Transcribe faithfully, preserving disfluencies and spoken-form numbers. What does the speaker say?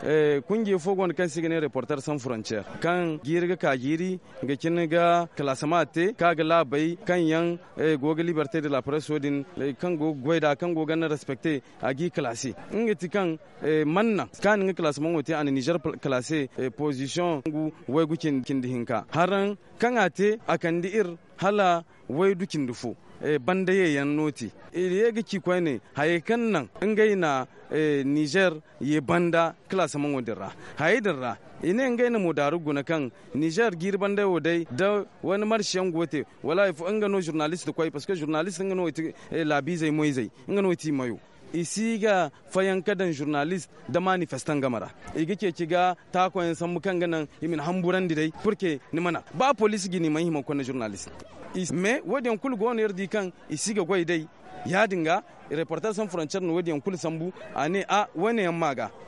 Kunjey fo go no kaŋ se i ga ne reporter sans frontier, kaŋ jiiri ga ka jiiri ga cine ga kalaasama te kaŋ a ga laabey kaŋ yaŋ go ga liberte de la presse wo- din, kaŋ go ga goy nd'a kaŋ go ga naŋ respecte a g'i kalaase. Nga ti kaŋ manna kaani nga kalaasamaŋo te a na nizer kalaase position ngu waygu cindi hinka haraŋ kaŋ a te a kande iri hala waydu cindi fo banda ye yaŋ no te. Iri ye ga ci koyne hayey kaŋ naŋ ngey na nizer ye banda kalaasamaŋo din ra. Hayey din ra i ne ngey na mo daaru guna kaŋ nizer jiiri bandey wo day da wani marsi yaŋ go te wala hari fo nga no zurnalist koy parceque zurnalist nga no ga ti laabiizey moyzey nga no ga ti mayo. I si ga fayanka daŋ zurnalist nda manifestan game ra. I ga ceeci ga taako yaŋ sambu kaŋ ga naŋ i ma ni hamburandi day purke ni mana ba poliisi ga ni mana hima ga konda zurnalist. Mais wo- din yaŋ kulu go no iri di kaŋ i si ga goy day. Ya- din ga reporter sans frontier na wo- din yaŋ kulu sambu a ne a wo- ne yaŋ ma ga.